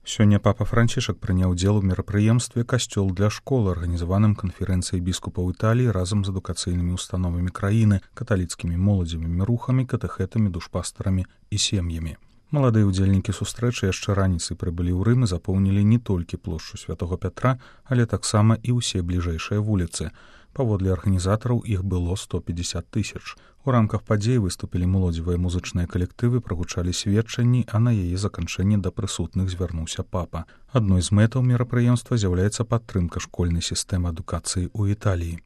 Сёння папа Францішак прыняў удзел у мерапрыемстве «Касцёл для школ», арганізаваным канферэнцыяй біскупаў Італіі разам з адукацыйнымі установамі краіны, каталіцкімі моладзевымі рухамі, катэхетамі, душпастарамі і сем'ямі. Маладыя ўдзельнікі сустрэчы яшчэ раніцай прыбылі ў Рым і запоўнілі не толькі плошчу Святога Пятра, але таксама і ўсе бліжэйшыя вуліцы. Паводле арганізатараў іх было 150 000. У рамках падзей выступілі моладзевыя музычныя калектывы, прагучалі сведчанні, а на яе заканчэнне да прысутных звярнуўся папа. Адной з мэтаў мерапрыемства з'яўляецца падтрымка школьнай сістэмы адукацыі ў Італіі.